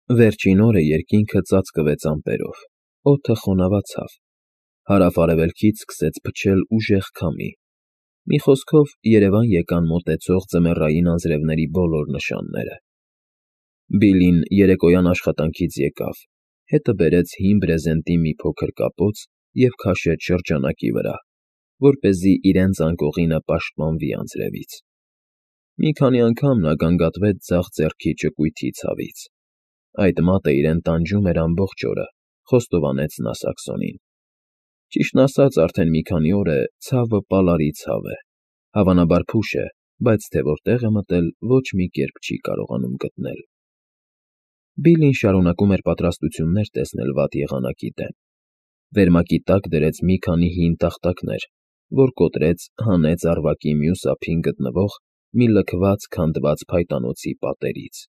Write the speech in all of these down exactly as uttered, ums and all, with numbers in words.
Վերջին օրը երկինքը ծածկվեց ամպերով, օդը խոնավացավ, հարավ֊արևելքից սկսեց փչել ուժեղ քամի, մի խոսքով երևան եկան մոտեցող ձմեռային անձրևների բոլոր նշանները։ Բիլլին երեկոյան աշխատանքից եկավ, հետը բերեց հին բրեզենտի մի փոքր կապոց և քաշեց շրջանակի վրա, որպեսզի իրեն ծանկողինը պաշտպանվի անձրևից։ Մի քանի անգամ նա գանգատվեց ձախ ձեռքի ճկույթի ցավից։ Այդ մատը իրեն տանջում էր ամբողջ օրը, խոստովանեց նա Սաքսոնին։ Ճիշտն ասած, արդեն մի քանի օր է ցավը պալարի ցավ է, հավանաբար փուշ է, բայց թե որտեղ է մտել, ոչ մի կերպ չի կարողանում գտնել։ Բիլլին շարունակում էր պատրաստություններ տեսնել վատ եղանակի դեմ։ Վերմակի տակ դրեց մի քանի հին տախտակներ, որ կոտրեց, հանեց առվակի մյուս ափին գտնվող մի լքված քանդված փայտանոցի պատերից։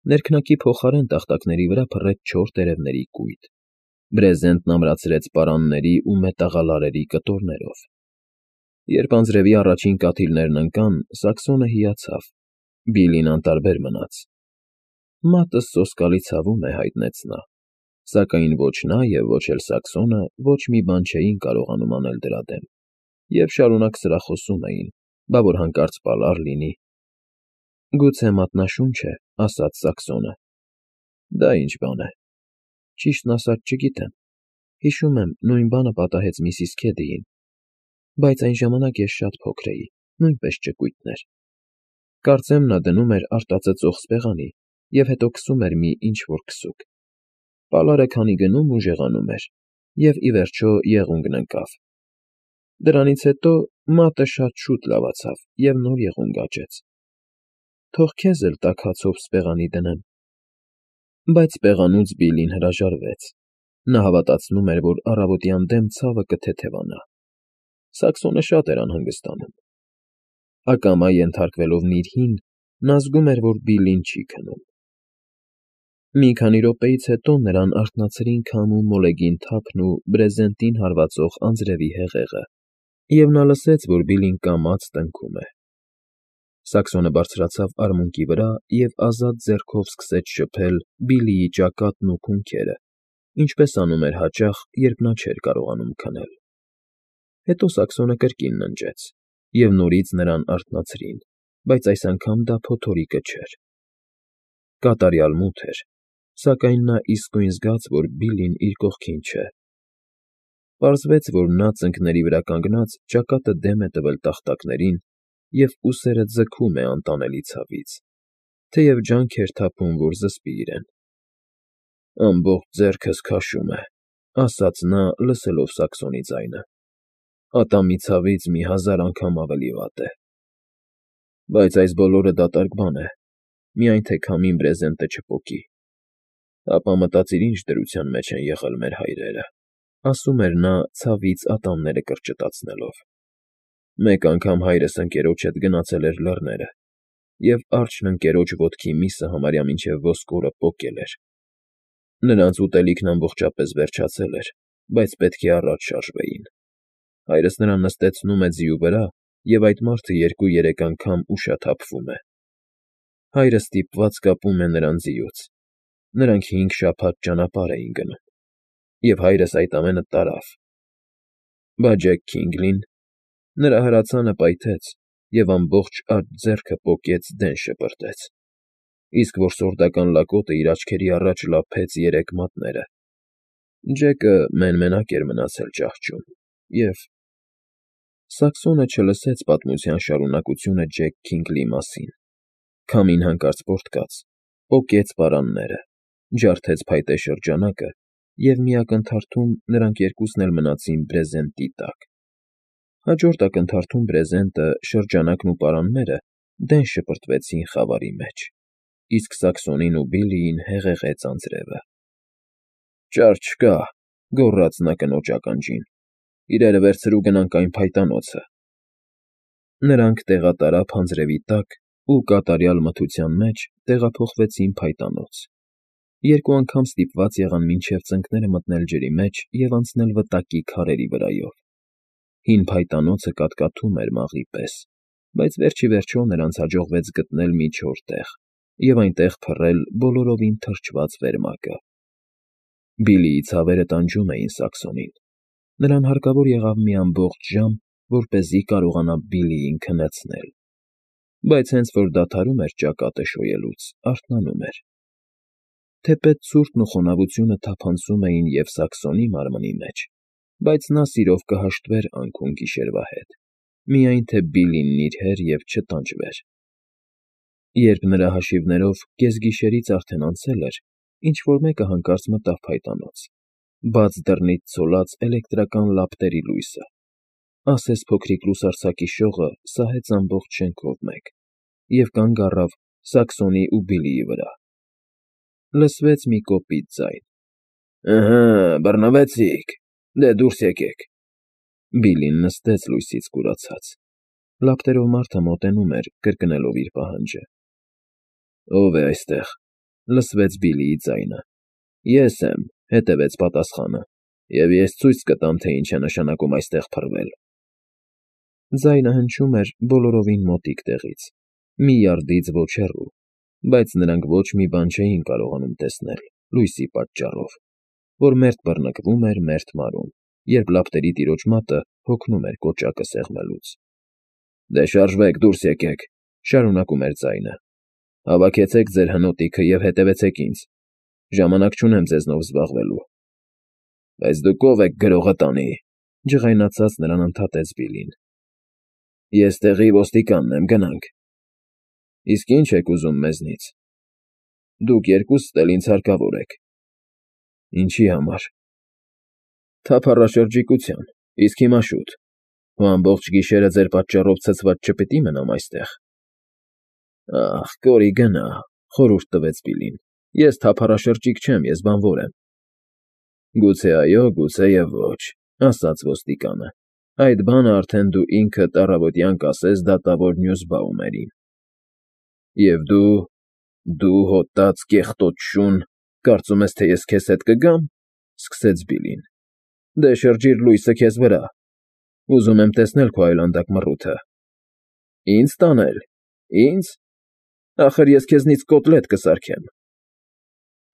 Ներքնակի փոխարեն տախտակների վրա փռեց չոր տերևների կույտ, բրեզենտն ամրացրեց պարանների ու մետաղալարերի կտորներով։ Երբ անձրևի առաջին կաթիլներն ընկան, Սաքսոնը հիացավ, Բիլլին անտարբեր մնաց։ Մատը սոսկալի ցավում է, հայտնեց նա, սակայն ոչ նա և ոչ էլ Սաքսոնը ոչ մի բան չէին կարողանում անել դրա դեմ, և շարունակ սրախոսում էին, բա որ հանկարծ պալար լինի։ Գուցե մատնաշունչ է, ասաց Սաքսոնը։ Դա ինչ բան է։ Ճիշտն ասած, չգիտեմ, հիշում եմ, նույն բանը պատահեց միսիս Քեդիին, բայց այն ժամանակ ես շատ փոքր էի, նույնպես ճկույտն էր։ Կարծեմ նա դնում էր արտածծող սպեղանի և հետո քսում էր մի ինչ֊որ քսուկ։ Պալարը քանի գնում, ուժեղանում էր, և, ի վերջո, եղունգն ընկավ։ Դրանից հետո մատը շատ շուտ լավացավ և նոր եղունգ աճեց։ Թող քեզ էլ տաք հացով սպեղանի դնեմ։ Բայց սպեղանուց Բիլլին հրաժարվեց։ Նա հավատացնում էր, որ առավոտյան դեմ ցավը կթեթևանա։ Սաքսոնը շատ էր անհանգստանում։ Ակամա ենթարկվելով նիրհին, նա զգում էր, որ Բիլլին չի քնում։ Մի քանի րոպեից հետո նրան արթնացրին քամու մոլեգին թափն ու բրեզենտին հարվածող անձրևի հեղեղը, և նա լսեց, որ Բիլլին կամաց տնքում է։ Սաքսոնը բարձրացավ արմունկի վրա և ազատ ձեռքով սկսեց շփել Բիլլիի ճակատն ու քունքերը, ինչպես անում էր հաճախ, երբ նա չէր կարողանում քնել։ Հետո Սաքսոնը կրկին ննջեց, և նորից նրան արթնացրին, բայց այս անգամ դա փոթորիկը չէր։ Կատարյալ մութ էր, սակայն նա իսկույն զգաց, որ Բիլլին իր կողքին չէ։ Պարզվեց, որ նա ծնկների վրա կանգնած ճակատը դեմ է տվել տախտակներին և ուսերը ձգում է անտանելի ցավից, թեև ջանք էր թափում, որ զսպի իրեն։ Ամբողջ ձեռքս քաշում է, ասաց նա, լսելով Սաքսոնի ձայնը։ Ատամի ցավից մի հազար անգամ ավելի վատ է։ Բայց այս բոլորը դատարկ բան է, միայն թե քամին բրեզենտը չպոկի։ Ապա մտածիր ինչ դրության մեջ են եղել մեր հայրերը, ասում էր նա, ցավից ատամները կրճտացնելով։ Մեկ անգամ հայրս ընկերոջ հետ գնացել էր լեռները, և արջն ընկերոջ ոտքի միսը համարյա մինչև ոսկորը պոկել էր։ Նրանց ուտելիքն ամբողջապես վերջացել էր, բայց պետք է առաջ շարժվեին։ Հայրս նրան նստեցնում է ձիու վրա, և այդ մարդը երկու֊երեք անգամ ուշաթափվում է։ Հայրը ստիպված կապում է նրան ձիուց։ Նրանք հինգ շաբաթ ճանապարհ էին գնում, և հայրս այդ ամենը տարավ։ Բա Ջեք Քինգլին… Նրա հրացանը պայթեց, և ամբողջ աջ ձեռքը պոկեց դեն շպրտեց, իսկ որսորդական լակոտը իր աչքերի առաջ լափեց երեք մատները։ Ջեկը մեն֊մենակ էր մնացել ճահճում, և… Սաքսոնը չլսեց պատմության շարունակությունը Ջեք Քինգլի մասին։ Քամին հանկարծ պոռթկաց, պոկեց պարանները, ջարդեց փայտե շրջանակը, և մի ակնթարթում նրանք երկուսն էլ մնացին բրեզենտի տակ։ Հաջորդ ակնթարթում բրեզենտը, շրջանակն ու պարանները դեն շպրտվեցին խավարի մեջ, իսկ Սաքսոնին ու Բիլլիին հեղեղեց անձրևը։ Ճար չկա,֊ գոռաց նա կնոջ ականջին,֊ իրերը վերցրու գնանք այն փայտանոցը։ Նրանք տեղատարափ անձրևի տակ ու կատարյալ մթության մեջ տեղափոխվեցին փայտանոց։ Երկու անգամ ստիպված եղան մինչև ծնկները մտնել ջրի մեջ և անցնել վտակի քարերի վրայով։ Հին փայտանոցը կատկաթում էր մաղի պես, բայց վերջ ի վերջո նրանց հաջողվեց գտնել մի չոր տեղ, և այնտեղ փռել բոլորովին թրջված վերմակը։ Բիլիի ցավերը տանջում էին Սաքսոնին. նրան հարկավոր եղավ մի ամբողջ ժամ, որպեսզի կարողանա Բիլիին քնեցնել, բայց հենց որ դադարում էր ճակատը շոյելուց, արթնանում էր։ Թեպետ ցուրտն ու խոնավությունը թափանցում էին և Սաքսոնի մարմնի մեջ, բայց նա սիրով կհաշտվեր անքուն գիշերվա հետ, միայն թե Բիլին նիրհեր և չտանջվեր։ Երբ նրա հաշիվներով կեսգիշերից արդեն անցել էր, ինչ֊որ մեկը հանկարծ մտավ փայտանոց, բաց դռնից ցոլած էլեկտրական լապտերի լույսը, ասես փոքրիկ լուսարձակի շողը սահեց ամբողջ շենքով մեկ և կանգ առավ Սաքսոնի ու Բիլիի վրա։ Լսվեց մի կոպիտ ձայն. «Ըհը, բռնվեցի՞ք, դե դուրս եկեք»։ Բիլին նստեց լույսից կուրացած։ Լապտերով մարդը մոտենում էր, կրկնելով իր պահանջը։ «Ո՞վ է այստեղ»։ Լսվեց Բիլիի ձայնը։ «Ես եմ», հետևեց պատասխանը, «և ես ցույց կտամ, թե ինչ է նշանակում այստեղ փռվել»։ Ձայնը հնչում էր բոլորովին մոտիկ տեղից, մի յարդից ոչ հեռու, բայց նրանք ոչ մի բան չէին կարողանում տեսնել լույսի պատճառով, որ մերթ բռնկվում էր, մերթ մարում, երբ լապտերի տիրոջ մատը հոգնում էր կոճակը սեղմելուց։ «Դե շարժվեք, դուրս եկեք», շարունակում էր ձայնը։ «Հավաքեցեք ձեր հնոտիքը և հետևեցեք ինձ։ Ժամանակ չունեմ ձեզնով զբաղվելու»։ «Բայց դուք ո՞վ եք, գրողը տանի», ջղայնացած նրան ընդհատեց Բիլին։ «Ես տեղի ոստիկանն եմ, գնանք»։ «Իսկ ի՞նչ եք ուզում մեզնից»։ «Դուք երկուսդ էլ ինձ հարկավոր եք»։ «Ինչի համար»։ «Թափառաշրջիկության, իսկ հիմա շուտ, ու ամբողջ գիշերը ձեր պատճառով ցցված չպիտի մնամ այստեղ»։ «Ախ, կորի գնա», խորհուրդ տվեց Բիլին, «ես թափառաշրջիկ չեմ, ես բանվոր եմ»։ «Գուցե այո, գուցե և ոչ», ասաց ոստիկանը, «այդ բանը արդեն դու ինքդ առավոտյան կասես դատավոր Նյուզբաումերին»։ «Եվ դու… դու հոտած, կեղտոտ շուն, կարծում ես, թե ես քեզ հետ կգամ»։ Սկսեց Բիլին։ «Դե շրջիր լույսը քեզ վրա։ Ուզում եմ տեսնել քո այլանդակ մռութը»։ «Ինձ տանել, ի՞նձ։ Ախր ես քեզնից կոտլետ կսարքեմ»։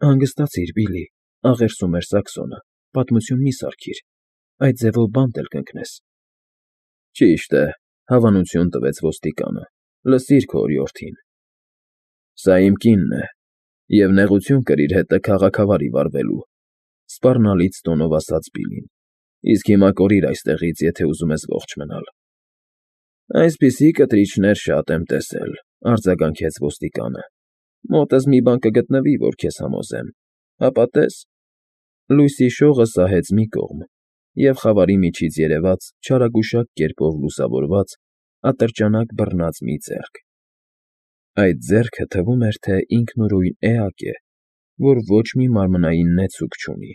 «Հանգստացիր, Բիլի», աղերսում էր Սաքսոնը, «պատմություն մի սարքիր, այդ ձևով բանտ էլ կընկնես»։ «Ճիշտ է», հավանություն տվեց ոստիկանը, «լսիր քո օրիորդին»։ «Սա իմ կինն է, և նեղություն կրիր հետը քաղաքավարի վարվելու», սպառնալից տոնով ասաց Բիլին, «իսկ հիմա կորիր այստեղից, եթե ուզում ես ողջ մնալ»։ «Այսպիսի կտրիչներ շատ եմ տեսել», արձագանքեց ոստիկանը, «մոտս մի բան կգտնվի, որ քեզ համոզեմ, հապա տես»։ Լույսի շողը սահեց մի կողմ, և խավարի միջից երևաց չարագուշակ կերպով լուսավորված, ատրճանակ բռնած մի ձեռք։ Այդ ձեռքը թվում էր, թե ինքնուրույն էակ է, որ ոչ մի մարմնային նեցուկ չունի։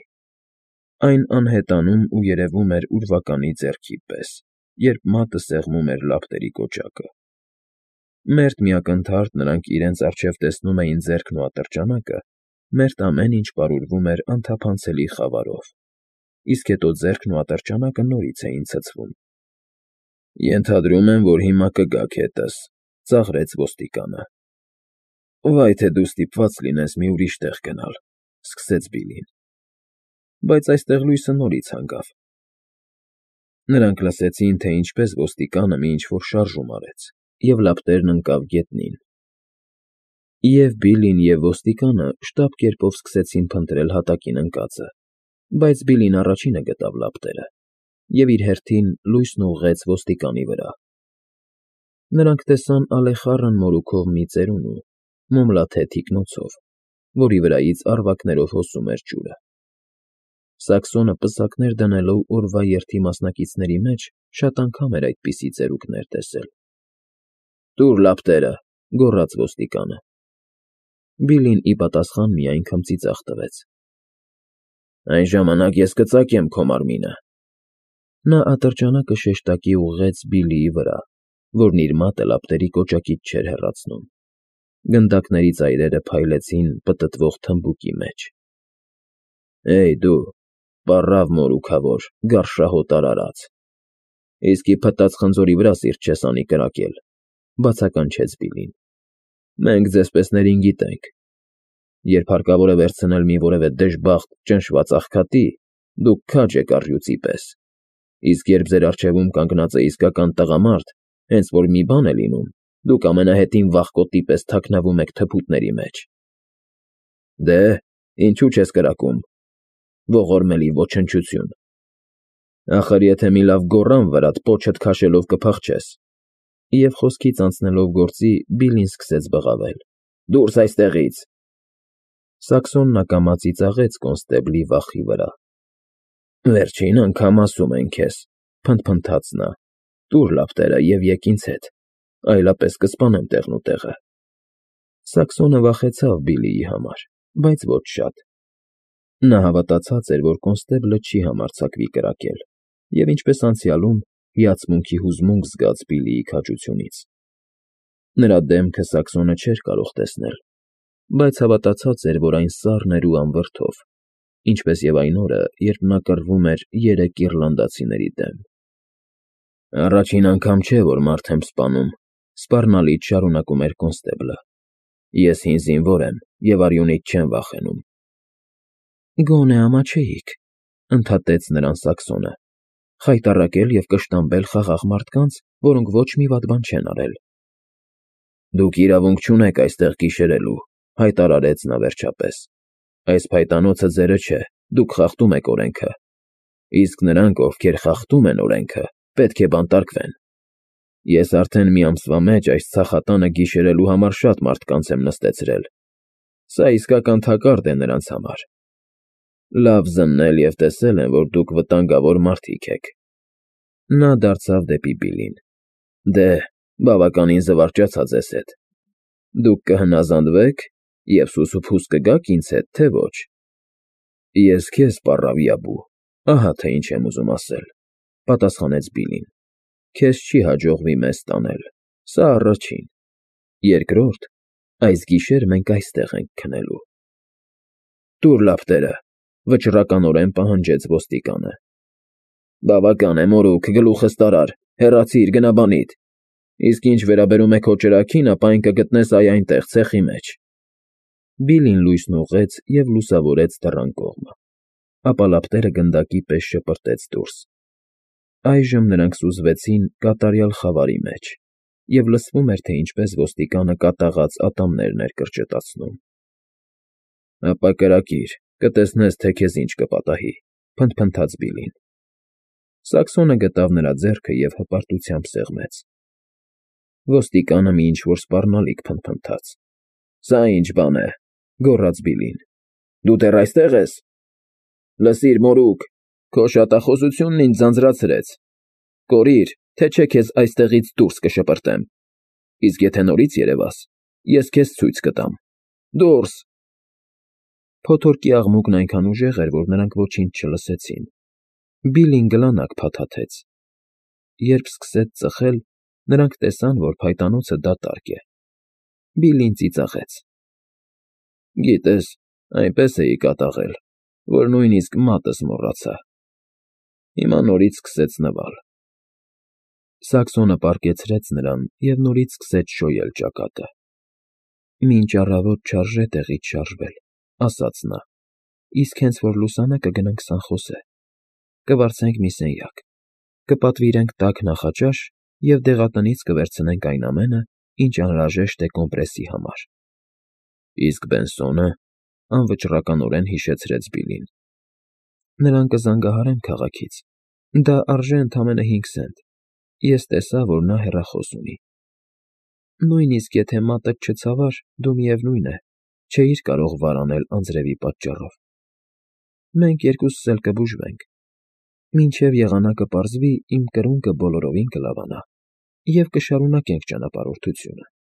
Այն անհետանում ու երևում էր ուրվականի ձեռքի պես, երբ մատը սեղմում էր լապտերի կոճակը։ Մերթ մի ակնթարթ նրանք իրենց առջև տեսնում էին ձեռքն ու ատրճանակը, մերթ ամեն ինչ պարուրվում էր անթափանցելի խավարով, իսկ հետո ձեռքն ու ատրճանակը նորից էին ցցվում։ «Ենթադրում եմ, որ հիմա կգաք հետս», ծաղրեց ոստիկանը։ «Վայ թե դու ստիպված լինես մի ուրիշ տեղ գնալ», սկսեց Բիլին։ Բայց այստեղ լույսը նորից հանգավ։ Նրանք լսեցին, թե ինչպես ոստիկանը մի ինչ֊որ շարժում արեց, և լապտերն ընկավ գետնին։ Եվ Բիլին, և ոստիկանը շտապ կերպով սկսեցին փնտրել հատակին ընկածը, բայց Բիլին առաջինը գտավ լապտերը, և իր հերթին լույսն ուղղեց ոստիկանի վրա։ Նրանք տեսան ալեխառն մորուքով մի ծերունու, մոմլաթե թիկնոցով, որի վրայից առվակներով հոսում էր ջուրը։ Սաքսոնը պսակներ դնելով օրվա երթի մասնակիցների մեջ շատ անգամ էր այդպիսի ծերուկներ տեսել։ «Տուր լապտերը», գոռաց ոստիկանը։ Բիլին ի պատասխան միայն քմծիծաղ տվեց։ «Այն ժամանակ ես կծակեմ քո մարմինը»։ Նա ատրճանակը շեշտակի ուղղեց Բիլիի վրա, որն իր մատը լապտերի կոճակից չէր հեռացնում։ Գնդակների ծայրերը փայլեցին պտտվող թմբուկի մեջ։ «Հեյ, դու, պառավ մորուքավոր, գարշահոտ արարած, իսկի փտած խնձորի վրա սիրտ չես անի կրակել», բացականչեց Բիլին։ Մենք ձեզպեսներին գիտենք. երբ հարկավոր է վերցնել մի որևէ դժբախտ, ճնշված աղքատի, դուք քաջ եք առյուծի պես, իսկ երբ ձեր առջևում կանգնած է իսկական տղամարդ, հենց որ մի բան է լինում, դուք ամենահետին վախկոտի պես թաքնվում եք թփուտների մեջ։ Դե, ինչու չես կրակում, ողորմելի ոչնչություն։ Ախր եթե մի լավ գոռան վրադ պոչդ քաշելով կփախչես։ Եվ խոսքից անցնելով գործի, Բիլլին սկսեց բղավել. Դուրս այստեղից։ Սաքսոնն ակամա ծիծաղեց կոնստեբլի վախի վրա։ Վերջին անգամ ասում են քեզ, փնթփնթաց նա, տուր լապտերը և եկ ինձ հետ, այլապես կսպանեմ տեղնուտեղը։ Սաքսոնը վախեցավ Բիլլիի համար, բայց ոչ շատ։ Նա հավատացած էր, որ կոնստեբլը չի համարձակվի կրակել, և ինչպես անցյալում, հիացմունքի հուզմունք զգաց Բիլլիի քաջությունից։ Նրա դեմքը Սաքսոնը չէր կարող տեսնել, բայց հավատացած էր, որ այն սառն էր ու անվրդով, ինչպես և այն օրը, երբ նա կռվում էր երեք իռլանդացիների դեմ։ Առաջին անգամ չէ, որ մարդ եմ սպանում, սպառնալից շարունակում էր կոնստեբլը։ Ես հին զինվոր եմ և արյունից չեմ վախենում։ Գոնե ամաչեիք, ընդհատեց նրան Սաքսոնը, խայտառակել և կշտամբել խաղաղ մարդկանց, որոնք ոչ մի վատ բան չեն արել։ Դուք իրավունք չունեք այստեղ գիշերելու, հայտարարեց նա վերջապես։ Այս փայտանոցը ձերը չէ, դուք խախտում եք օրենքը, իսկ նրանք, ովքեր խախտում են օրենքը, պետք է բանտարկվեն։ Ես արդեն մի ամսվա մեջ այս ցախատանը գիշերելու համար շատ մարդկանց եմ նստեցրել։ Սա իսկական թակարդ է նրանց համար։ Լավ զննել և տեսել են, որ դուք վտանգավոր մարդիկ եք։ Նա դարձավ դեպի Բիլլին. Դե, բավականին զվարճացա ձեզ հետ։ Դուք կհնազանդվե՞ք և սուսուփուս կգաք ինձ հետ, թե ոչ։ Ես քեզ, պառավիաբու, ահա թե ինչ եմ ուզում ասել, պատասխանեց Բիլլին։ Քեզ չի հաջողվի մեզ տանել, սա առաջին։ Երկրորդ, այս գիշեր մենք այստեղ ենք քնելու։ Տուր լապտերը, վճռականորեն պահանջեց ոստիկանը։ Բավական է, մորուք, գլուխս տարար, հեռացիր, գնա բանիդ։ Իսկ ինչ վերաբերում է քո ճրագին, ապա այն կգտնես այ այնտեղ, ցեխի մեջ։ Բիլլին լույսն ուղղեց և լուսավորեց դռան կողմը, ապա լապտերը գնդակի պես շպրտեց դուրս։ Այժմ նրանք սուզվեցին կատարյալ խավարի մեջ, և լսվում էր, թե ինչպես ոստիկանը կատաղած ատամներն էր կրճտացնում։ Ապա կրակիր, կտեսնես, թե քեզ ինչ կպատահի, փնթփնթաց Բիլլին։ Սաքսոնը գտավ նրա ձեռքը և հպարտությամբ սեղմեց։ Ոստիկանը մի ինչ֊որ սպառնալիք փնթփնթաց։ Սա ի՞նչ բան է, գոռաց Բիլլին։ Դու դեռ այստե՞ղ ես։ Լսիր, մորուք, քո շատախոսությունն ինձ ձանձրացրեց։ Կորիր, թե չէ քեզ այստեղից դուրս կշպրտեմ։ Իսկ եթե նորից երևաս, ես քեզ ցույց կտամ։ Դուրս… Փոթորկի աղմուկն այնքան ուժեղ էր, որ նրանք ոչինչ չլսեցին։ Բիլլին գլանակ փաթաթեց։ Երբ սկսեց ծխել, նրանք տեսան, որ փայտանոցը դատարկ է։ Բիլլին ծիծաղեց. Գիտես, այնպես էի կատաղել, որ նույնիսկ մատս մոռացա։ Հիմա նորից սկսեց նվալ։ Սաքսոնը պառկեցրեց նրան և նորից սկսեց շոյել ճակատը։ Մինչ առավոտ չարժե տեղից շարժվել, ասաց նա, իսկ հենց որ լուսանա կգնանք Սանխոսե, կվարձենք մի սենյակ, կպատվիրենք տաք նախաճաշ և դեղատնից կվերցնենք այն ամենը, ինչ անհրաժեշտ է կոմպրեսի համար։ Իսկ Բենսո՞նը,֊ անվճռականորեն հիշեցրեց Բիլլին։ Նրան կզանգահարեմ քաղաքից, դա արժե ընդամենը հինգ սենտ, ես տեսա, որ նա հեռախոս ունի։ Նույնիսկ եթե մատդ չցավար, դու, միևնույն է, չէիր կարող վարանել անձրևի պատճառով։ Մենք երկուսս էլ կբուժվենք։ Մինչև եղանակը պարզվի, իմ կրունկը բոլորովին կլավանա, և կշարունակենք ճանապարհորդությունը։